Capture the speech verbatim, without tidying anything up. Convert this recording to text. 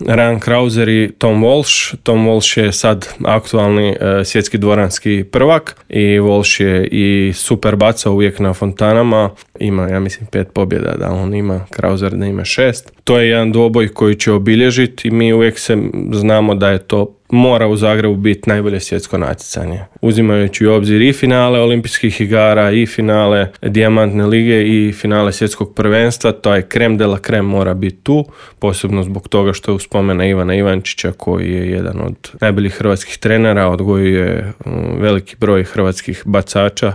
Ryan Krauser i Tom Walsh. Tom Walsh je sad aktualni uh, svjetski dvoranski prvak i Walsh je i super bacao uvijek na fontanama. Ima, ja mislim, pet pobjeda, da on ima, Krauser da ima šest. To je jedan dvoboj koji će obilježiti i mi uvijek se znamo da je to mora u Zagrebu biti najbolje svjetsko natjecanje. Uzimajući u obzir i finale olimpijskih igara, i finale dijamantne lige, i finale svjetskog prvenstva, to je krem de la krem mora biti tu, posebno zbog toga što je uspomena Ivana Ivančića, koji je jedan od najboljih hrvatskih trenera, odgojio je veliki broj hrvatskih bacača